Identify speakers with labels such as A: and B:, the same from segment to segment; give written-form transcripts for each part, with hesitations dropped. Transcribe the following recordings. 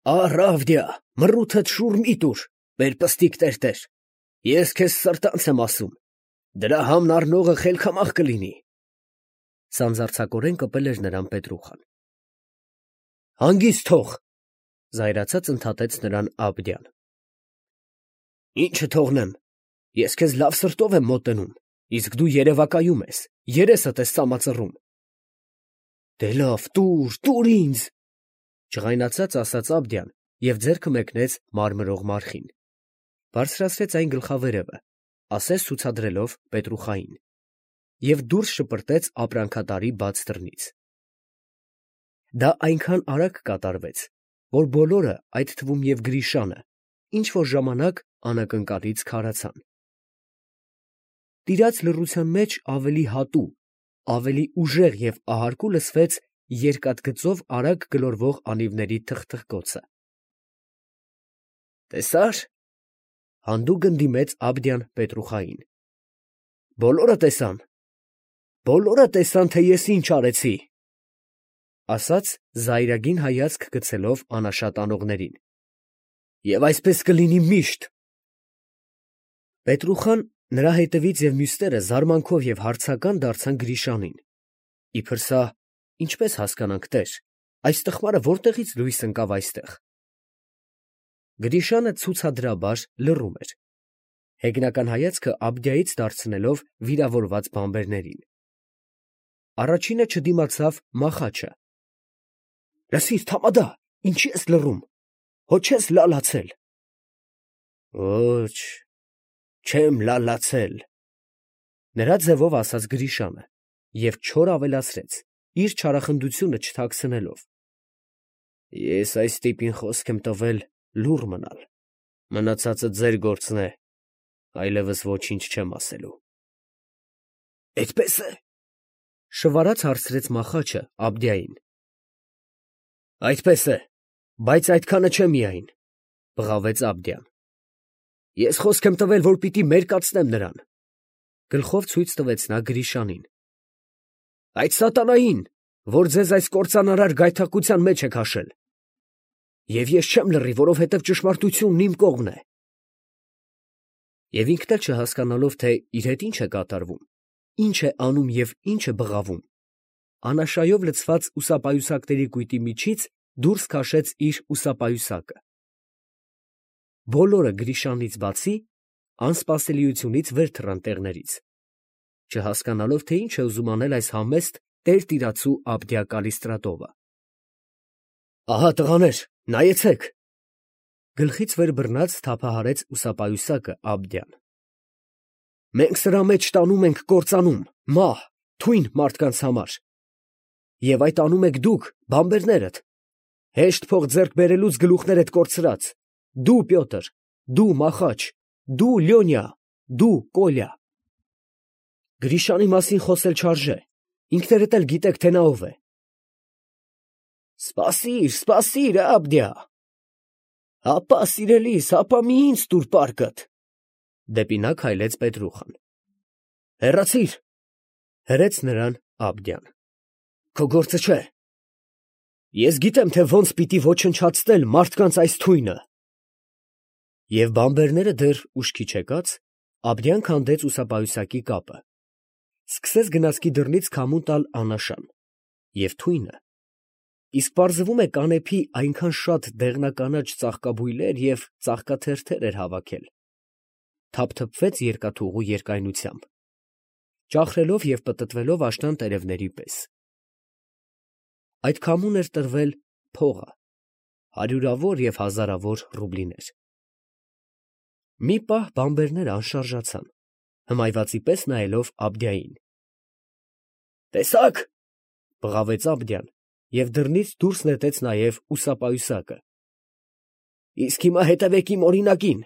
A: Առավդյա, մռութդ շուռ մի տուր, մեր պստիկ տերտեր, ես քեզ սրտանց եմ ասում, դրա համն առնողը խելքամահ կլինի։ Սանձարձակորեն կպել էր նրան Պետրուխան։ Հանգիստ թող, զայրացած ընդհատեց նրան Աբդյան։ Ինչը թողնեմ, ես քեզ լավ սրտով եմ մոտենում, իսկ դու երևակայում ես, երեսդ ես սամածռում։ Դե լավ, տուր ինձ, ջղայնացած ասաց Աբդյան և ձեռքը մեկնեց մարմրող մարխին, բարձրացրեց այն գլխավերևը, ասես ցուցադրելով Պետրուխային, և դուրս շպրտեց ապրանքատարի բաց դռնից։ Դա այնքան արագ կատարվեց, որ բոլորը, այդ թվում և Գրիշանը, ինչ-որ ժամանակ անակնկալից քարացան։ Տիրած լռության մեջ ավելի հատու, ավելի ուժեղ և ահարկու լսվեց երկաթգծով արագ գլորվող անիվների թխթխկոցը։ Տեսա՞ր, հանդուգն դիմեց Աբդյան Պետրուխային։ Բոլորը տեսան, թե ես ինչ արեցի, ասաց զայրագին հայացք գցելով անաշատ անողներին, և այսպես կլինի միշտ։ Պետրուխան, նրա հետևից և մյուսները զարմանքով և հարցական դարձան Գրիշանին, իբր սա ինչպես հասկանանք, տեր, այս տխմարը որտեղից լույս ընկավ այստեղ։ Գրիշանը ցուցադրաբար լռում էր, հեգնական հայացքը Աբդյայից դարձնելով վիրավորված բանբերներին։ Առաջինը չդիմացավ Մախաչը։ Լսիր, Թամադա, ինչի ես լռում, հո չես լալացել։ Ոչ, չեմ լալացել, նրա ձևով ասաց Գրիշանը և չոր ավելացրեց, իր չարախնդությունը չթաքցնելով. Ես այս տիպին խոսք եմ տվել լուռ մնալ, մնացածը ձեր գործն է, այլևս ոչինչ չեմ ասելու։ Էդպես է, շվարած հարցրեց Մախաչը Աբդյային։ Այդպես է, բայց այդքանը չէ միայն, բղավեց Աբդյան։ Ես խոսք եմ տվել, որ պիտի մերկացնեմ նրան, գլխով ցույց տվեց նա Գրիշանին։ Այդ սատանային, որ ձեզ այս կործանարար գայթակղության մեջ է քաշել։ Եվ ես չեմ լռի, որովհետև ճշմարտությունն իմ կողմն է։ Եվ ինքն էլ չհասկանալով, թե իր հետ ինչ է կատարվում, ինչ է անում և ինչ է բղավում, անաշայով լցված ուսապայուսակների կույտի միջից դուրս քաշեց իր ուսապայուսակը։ Բոլորը Գրիշանից բացի անսպասելիությունից վեր թռան տեղներից, չհասկանալով, թե ինչ է ուզում անել այս համեստ տերտիրացու Աբդյա Կալիստրատովը։ Ահա տղաներ, նայեցեք, գլխից վեր բռնած թափահարեց ուսապայուսակը Աբդյան։ Մենք սրա մեջ տանում ենք կործանում, մահ, թույն մարդկանց համար։ Եվ այդ անում եք դուք, բանբերներդ, հեշտ փող ձեռք բերելուց գլուխներդ կորցրած, դու Պյոտր, դու Մախաչ, դու Լյոնյա, դու Կոլյա։ Գրիշանի մասին խոսել չարժե, ինքներդ էլ գիտեք, թե նա ով է։ Սպասիր, Աբդյա։ Հապա սիրելիս, հապա մի ինձ տուր պարկդ։ Դեպի նա քայլեց Պետրուխան։ Հեռացիր, հրեց նրան Աբդյան։ Քո գործը չէ։ Ես գիտեմ, թե ոնց պիտի ոչնչացնել մարդկանց այս թույնը։ Եվ բանբերները դեռ ուշքի չեկած, Աբդյան քանդեց ուսապայուսակի կապը, սկսեց գնացքի դռնից քամու տալ անաշան, և թույնը, իսկ պարզվում է կանեփի այնքան շատ դեղնականաչ ծաղկաբույլեր և ծաղկաթերթեր էր հավաքել, թափթփվեց երկաթուղու երկայնությամբ, ճախրելով և պտտվելով աշնան տերևների պես։ Այդ քամուն էր տրվել փողը, հարյուրավոր և հազարավոր ռուբլիներ։ Մի պահ բանբերները անշարժացան, հմայվածի պես նայելով Աբդյային։ Տեսա՞ք, բղավեց Աբդյան և դռնից դուրս նետեց նաև ուսապայուսակը։ Իսկ հիմա հետևեք իմ օրինակին,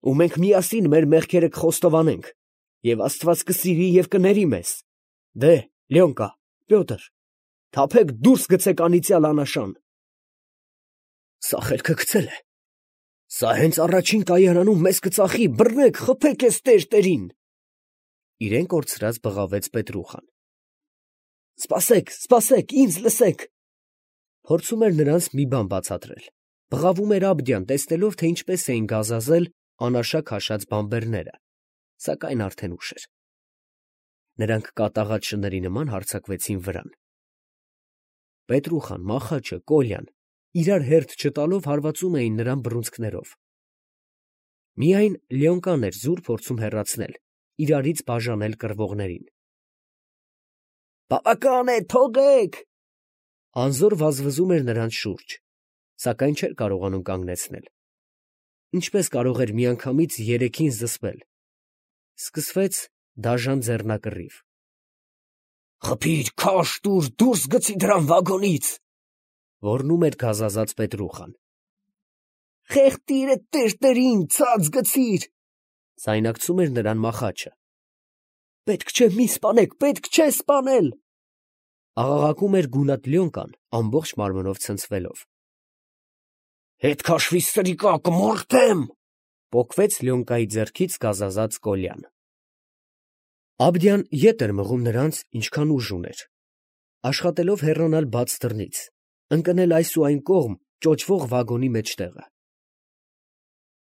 A: ու մենք միասին մեր մեղքերը կխոստովանենք, և Աստված կսիրի և կների մեզ։ Դե, Լյոնկա, Պյոտր, թափեք դուրս գցեք անիծյալ անաշան։ Սա խելքը գցել է։ Սա հենց առաջին կայարանում մեզ կծախի, բռնեք, խփեք էս տերտերին։ Իրեն կորցրած բղավեց Պետրուխան։ Սպասեք, ինձ լսեք։ Փորձում էր նրանց մի բան բացատրել, Բղավում էր Աբդյան, տեսնելով, թե ինչպես էին գազազել անաշակ հաշած բանբերները, սակայն արդեն ուշ էր. նրանք կատաղած շների նման հարձակվեցին վրան։ Պետրուխան, Մախաչը, Կոլյան իրար հերթ չտալով հարվածում էին նրան բռունցքներով։ Միայն Լյոնկան էր զուր փորձում հեռացնել, իրարից բաժանել կռվողներին։ «Բավական է, թողեք!» Անզոր վազվզում էր նրանց շուրջ, սակայն չէր կարողանում կանգնեցնել։ Ինչպես կարող էր միանգամից երեքին զսպել։ Սկսվեց դաժան ձեռնակռիվ։ «Խփիր, քաշ տուր, դուրս գցի դրան վագոնից», ոռնում էր գազազած Պետրուխան։ «Խեղդիր էդ տերտերին, ցած գցիր», զայնակցում էր նրան Մախաչը։ «Պետք չէ, մի սպանեք, պետք չէ սպանել», աղաղակում էր գունատ Լյոնկան ամբողջ մարմնով ցնցվելով։ «Հետ քաշվի, սրիկա, կմորթեմ», պոկվեց Լյոնկայի ձեռքից գազազած Կոլյան։ Աբդյան ետ էր մղում նրանց, ինչքան ուժ ուներ, աշխատելով հեռանալ բաց դռնից, ընկնել այս ու այն կողմ ճոճվող վագոնի մեջտեղը։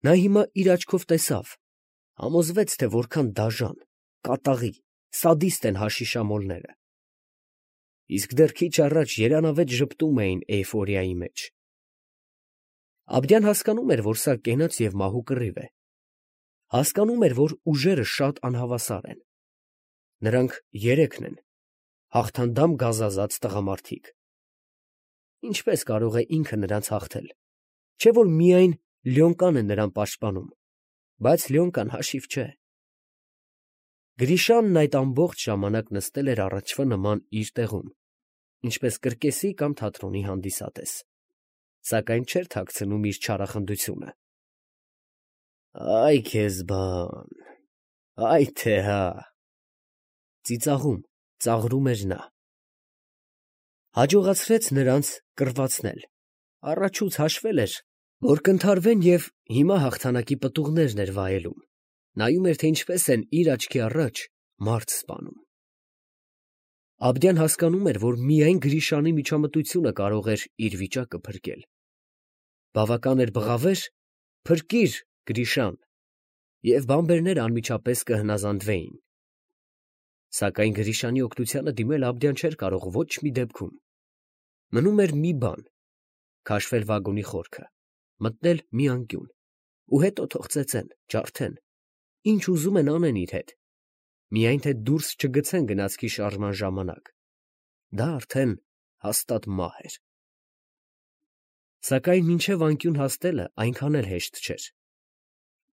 A: Նա հիմա իր աչքով տեսավ, համոզվեց, թե որքան դաժան, կատաղի, սադիստ են հաշիշամոլները։ Իսկ դեռ քիչ առաջ երանավետ ժպտում էին էյֆորիայի մեջ։ Աբդյան հասկանում էր, որ սա կենաց և մահու կռիվ է։ Հասկանում էր, որ ուժերը շատ անհավասար են։ Նրանք երեքն են, հաղթանդամ գազազած տղամարդիկ։ Ինչպես կարող է ինքը նրանց հաղթել, չէ՞ որ միայն Լյոնկան է նրան պաշտպանում, բայց Լյոնկան հաշիվ չէ։ Գրիշանն այդ ամբողջ ժամանակ նստել էր առաջվա նման իր տեղում, ինչպես կրկեսի կամ թատրոնի հանդիսատես, սակայն չէր թաքցնում իր չարախնդությունը։ «Այ քեզ բան, այ թե հա», ծիծաղում, ծաղրում էր նա։ Հաջողացրեց նրանց կռվածնել, առաջուց հաշվել էր, որ կընդհարվեն և հիմա հաղթանակի պտուղներն էր վայելում, նայում էր, թե ինչպես են իր աչքի առաջ մարդ սպանում։ Աբդյան հասկանում էր, որ միայն Գրիշանի միջամտությունը կարող էր իր վիճակը փրկել։ Բավական էր բղավեր, փրկիր, Գրիշան, և բանբերները անմիջապես կհնազանդվեին։ Սակայն Գրիշանի օգնությանը դիմել Աբդյան չէր կարող ոչ մի դեպքում։ Մնում էր մի բան՝ քաշվել վագոնի խորքը, մտնել մի անկյուն, ու հետո թող ծեծեն, ջարդեն, ինչ ուզում են անեն իր հետ, միայն թե դուրս չգցեն գնացքի շարժման ժամանակ։ Դա արդեն հաստատ մահ էր։ Սակայն մինչև անկյուն հասնելը այնքան էլ հեշտ չէր։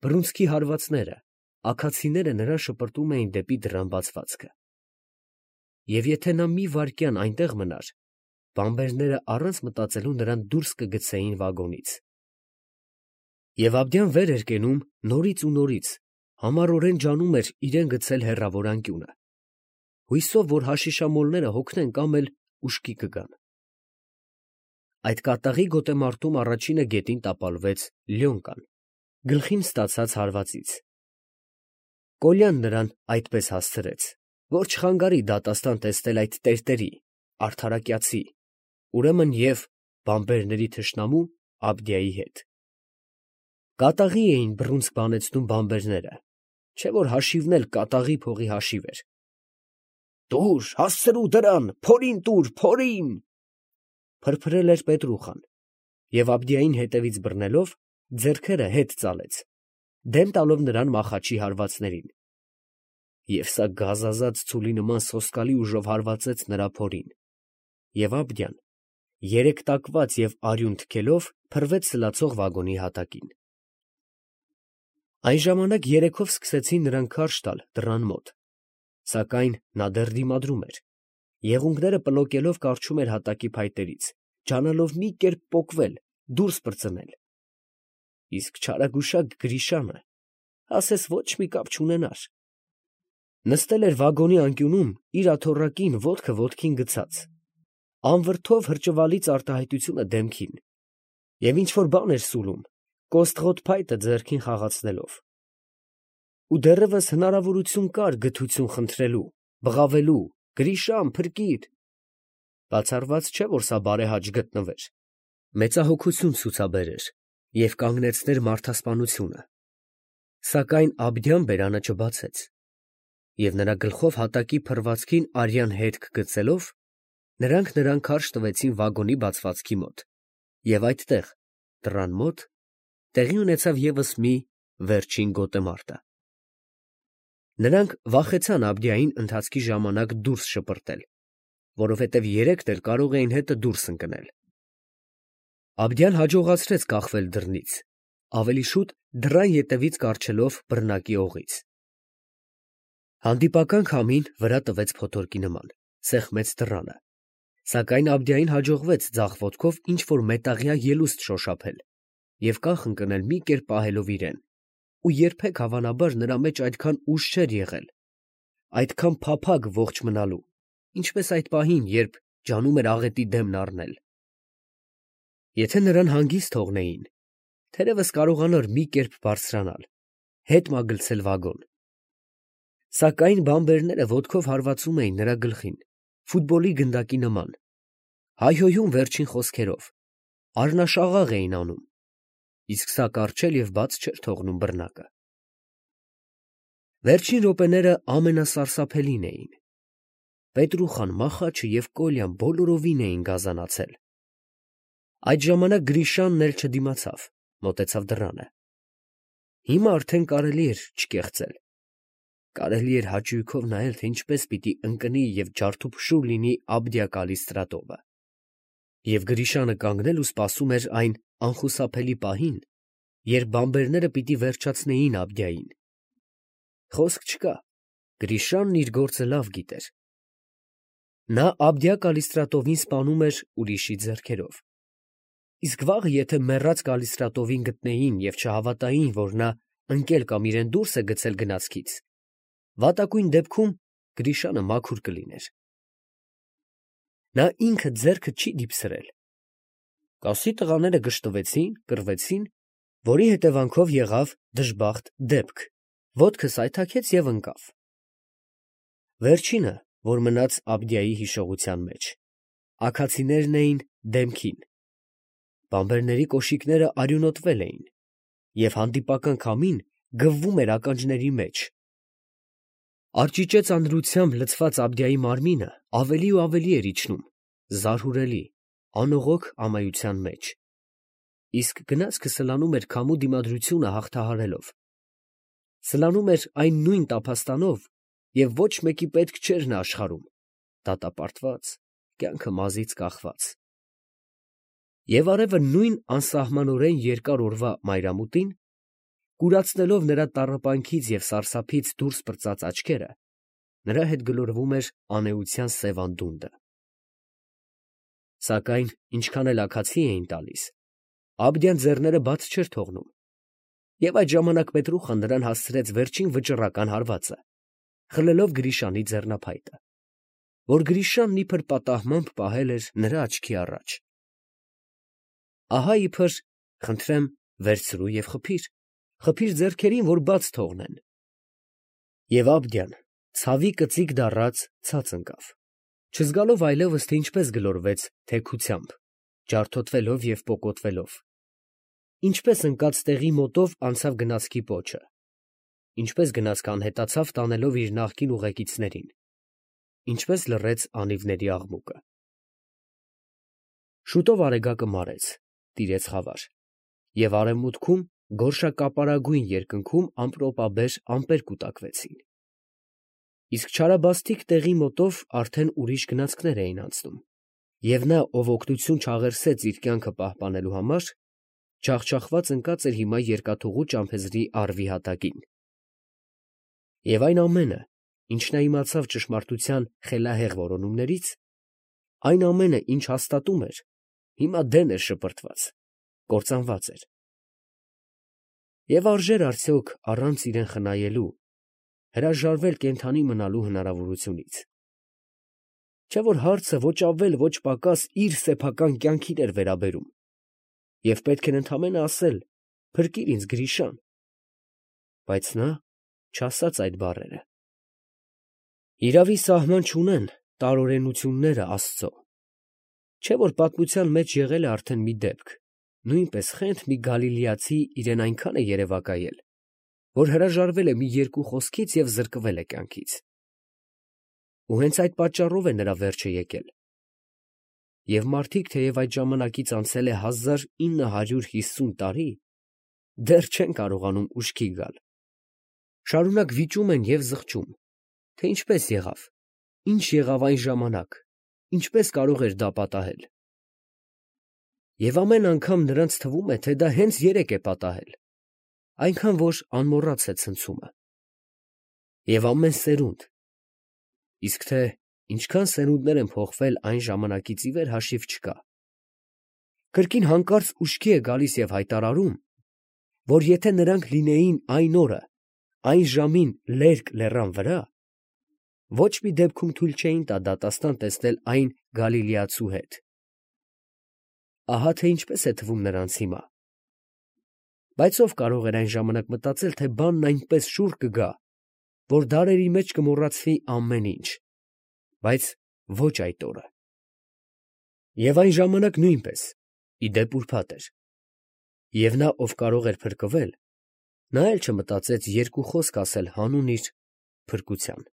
A: Բռունցքի հարվածները, աքացիները նրան շպրտում էին դեպի դռան բացվածքը։ Եվ եթե նա մի վայրկյան այնտեղ մնար, բանբերները առանց մտածելու նրան դուրս կգցեին վագոնից։ Եվ Աբդյան վեր էր կենում նորից ու նորից, համառորեն ջանում էր իրեն գցել հեռավոր անկյունը, հույսով, որ հաշիշամոլները հոգնեն կամ էլ ուշքի կգան։ Այդ կատաղի գոտեմարտում առաջինը գետին տապալվեց Լյոնկան, գլխին ստացած հարվածից։ Կոլյան նրան այդպես հասցրեց, որ չխանգարի դատաստան տեսնել այդ տերտերի, արդարակյացի, ուրեմն և բանբերների թշնամու Աբդյայի հետ։ Կատաղի էին բռունցք բանեցնում բանբերները, չէ՞ որ հաշիվն էլ կատաղի փողի հաշիվ էր։ «Տուր, հասցրու դրան, փորին տուր, փորին», փրփրել էր Պետրուխան, և Աբդյային հետևից բռնելով, ձեռքերը հետ ծալեց, դեմ տալով նրան Մախաչի հարվածներին։ Եվ սա գազազած ցուլի նման սոսկալի ուժով հարվածեց նրա փորին, և Աբդյան, երեքտակված և արյուն թքելով, փռվեց սլացող վագոնի հատակին։ Այն ժամանակ երեքով սկսեցին նրան քարշ տալ դռան մոտ, սակայն նա դեռ դիմադրում էր, եղունգները պլոկելով կառչում էր հատակի փայտերից, ջանալով մի կերպ պոկվել, դուրս պրծնել։ Իսկ չարագուշակ Գրիշանը, ասես ոչ մի կապ չունենար, նստել էր վագոնի անկյունում իր աթոռակին ոտքը ոտքին գցած, անվրդով հրճվալից արտահայտությունը դեմքին, և ինչ֊որ բան էր սուլում, կոստղոտ փայտը ձեռքին խաղացնելով։ Ու դեռևս հնարավորություն կար գթություն խնդրելու, բղավելու. «Գրիշան, փրկիր», բացառված չէ, որ սա բարեհաճ գտնվեր, մեծահոգություն ցուցաբերեր և կանգնեցներ մարդասպանությունը, սակայն Աբդյան բերանը չբացեց, և նրա գլխով հատակի փռվածքին արյան հետք գցելով, նրանք նրան քարշ տվեցին վագոնի բացվածքի մոտ, և այդտեղ, դռան մոտ, տեղի ունեցավ ևս մի վերջին գոտեմարտը։ Նրանք վախեցան Աբդիային ընթացքի ժամանակ դուրս շպրտել, որովհետև երեքն էլ կարող էին հետը դուրս ընկնել։ Աբդյան հաջողացրեց կախվել դռնից, ավելի շուտ դռան ետևից կառչելով բռնակի օղից։ Հանդիպական քամին վրա տվեց փոթորկի նման, սեղմեց դռանը, սակայն Աբդիային հաջողվեց ձախ ոտքով ինչ-որ մետաղյա ելուստ շոշափել և կախ ընկնել մի կերպ պահելով իրեն, ու երբեք հավանաբար նրա մեջ այդքան ուժ չէր եղել, այդքան փափագ ողջ մնալու, ինչպես այդ պահին, երբ ջանում էր աղետի դեմն առնել։ Եթե նրան հանգիստ թողնեին, թերևս կարողանար մի կերպ բարձրանալ, հետ մագլցել վագոն։ Սակայն բանբերները ոտքով հարվածում էին նրա գլխին, ֆուտբոլի գնդակի նման, հայհոյում վերջին խոսքերով, առնաշաղաղ էին անում, իսկ սա կառչել և բաց չէր թողնում բռնակը։ Վերջին րոպեները ամենասարսափելին էին։ Պետրուխան, Մախաչը և Կոլյան բոլորովին էին գազանացել։ Այդ ժամանակ Գրիշանն էլ չդիմացավ, մոտեցավ դռանը։ Հիմա արդեն կարելի էր չկեղծել։ Կարելի էր հաճույքով նայել, թե ինչպես պիտի ընկնի և ջարդուփշուր լինի Աբդիա Կալիստրատովը։ Եվ Գրիշանը կանգնել ու սպասում էր այն անխուսափելի պահին, երբ բանբերները պիտի վերջացնեին Աբդիային։ Խոսք չկա, Գրիշանն իր գործը լավ գիտեր։ Նա Աբդիա Կալիստրատովին սպանում էր ուրիշի ձեռքերով։ Իսկ վաղը եթե մեռած Կալիստրատովին գտնեին և չհավատային, որ նա ընկել կամ իրեն դուրս է գցել գնացքից, վատակույն դեպքում Գրիշանը մաքուր կլիներ։ Նա ինքը ձեռքը չի դիպսրել։ Կասի տղաները գժտվեցին, կռվեցին, որի հետևանքով եղավ դժբախտ դեպք, ոտքը սայթաքեց և ընկավ։ Վերջինը, որ մնաց Աբդիայի հիշողության մեջ, աքացիներն էին դեմքին։ Բանբերների կոշիկները արյունոտվել էին, և հանդիպական քամին գվվում էր ականջների մեջ։ Արճիճե ծանրությամբ լցված Աբդիայի մարմինը ավելի ու ավելի էր իջնում, զարհուրելի, անողոք ամայության մեջ, իսկ գնացքը սլանում էր քամու դիմադրությունը հաղթահարելով։ Սլանում էր այն նույն տափաստանով, և ոչ մեկի պետք չէր նա աշխարհում, դատապարտված, կյանքը մազից կախված։ Եվ արևը նույն անսահմանորեն երկար օրվա մայրամուտին, կուրացնելով նրա տառապանքից և սարսափից դուրս պրծած աչքերը, նրա հետ գլորվում էր անէության սև անդունդը։ Սակայն ինչքան էլ աքացի էին տալիս, Աբդյան ձեռները բաց չէր թողնում, և այդ ժամանակ Պետրուխան նրան հասցրեց վերջին վճռական հարվածը, խլելով Գրիշանի ձեռնափայտը, որ Գրիշանն իբր պատահմամբ պահել էր նրա աչքի առաջ։ Ահա իբր, խնդրեմ, վերցրու և խփիր ձեռքերին, որ բաց թողնեն։ Եվ Աբդյան, ցավի կծիկ դառած, ցած ընկավ, չզգալով այլևս, թե ինչպես գլորվեց թեքությամբ, ջարդոտվելով և պոկոտվելով, ինչպես ընկած տեղի մոտով անցավ գնացքի պոչը, ինչպես գնացքը անհետացավ տանելով իր նախկին ուղեկիցներին, ինչպես լռեց անիվների աղմուկը։ Շուտով արեգակը մարեց, տիրեց խավար, և արևմուտքում գորշակապարագույն երկնքում ամպրոպաբեր ամպեր կուտակվեցին։ Իսկ չարաբաստիկ տեղի մոտով արդեն ուրիշ գնացքներ էին անցնում, և նա, ով օգնություն չաղերսեց իր կյանքը պահպանելու համար, ջախջախված ընկած էր հիմա երկաթուղու ճամփեզրի առվի հատակին։ Եվ այն ամենը, ինչ նա իմացավ ճշմարտության խելահեղ որոնումներից, այն ամենը, ինչ հաստատում էր, հիմա դեն էր շպրտված, կործանված էր։ Եվ արժե՞ր արդյոք առանց իրեն խնայելու հրաժարվել կենդանի մնալու հնարավորությունից։ Չէ՞ որ հարցը ոչ ավել, ոչ պակաս իր սեփական կյանքին էր վերաբերում, և պետք էր ընդամենը ասել. «Փրկիր ինձ, Գրիշա՛ն», բայց նա չասաց այդ բառերը։ Հիրավի, սահման չունեն տարօրենությունները Աստծո։ Չէ՞ որ պատմության մեջ եղել է արդեն մի դեպք, նույնպես խենթ մի գալիլեացի իրեն այնքան է երևակայել, որ հրաժարվել է մի երկու խոսքից և զրկվել է կյանքից։ Ու հենց այդ պատճառով է նրա վերջը եկել։ Եվ մարդիկ, թեև այդ ժամանակից անցել է 1950 տարի, դեռ չեն կարողանում ուշքի գալ. շարունակ վիճում են և զղջում, թե ինչպես եղավ, ինչ եղավ այն ժամանակ, ինչպես կարող էր դա պատահել։ Եվ ամեն անգամ նրանց թվում է, թե դա հենց երեկ է պատահել, այնքան որ անմոռաց է ցնցումը։ Եվ ամեն սերունդ, իսկ թե ինչքան սերունդներ են փոխվել այն ժամանակից ի վեր հաշիվ չկա, կրկին հանկարծ ուշքի է գալիս և հայտարարում, որ եթե նրանք լինեին այն օրը, այն ժամին լերկ լեռան վրա, ոչ մի դեպքում թույլ չէին տա դատաստան տեսնել այն գալիլեացու հետ։ Ահա թե ինչպես է թվում նրանց հիմա։ Բայց ով կարող էր այն ժամանակ մտածել, թե բանն այնպես շուռ կգա, որ դարերի մեջ կմոռացվի ամեն ինչ, բայց ոչ այդ օրը։ Եվ այն ժամանակ նույնպես, ի դեպ ուրբաթ էր։ Եվ նա, ով կարող էր փրկվել, նա էլ չմտածեց երկու խոսք ասել հանուն իր փրկության։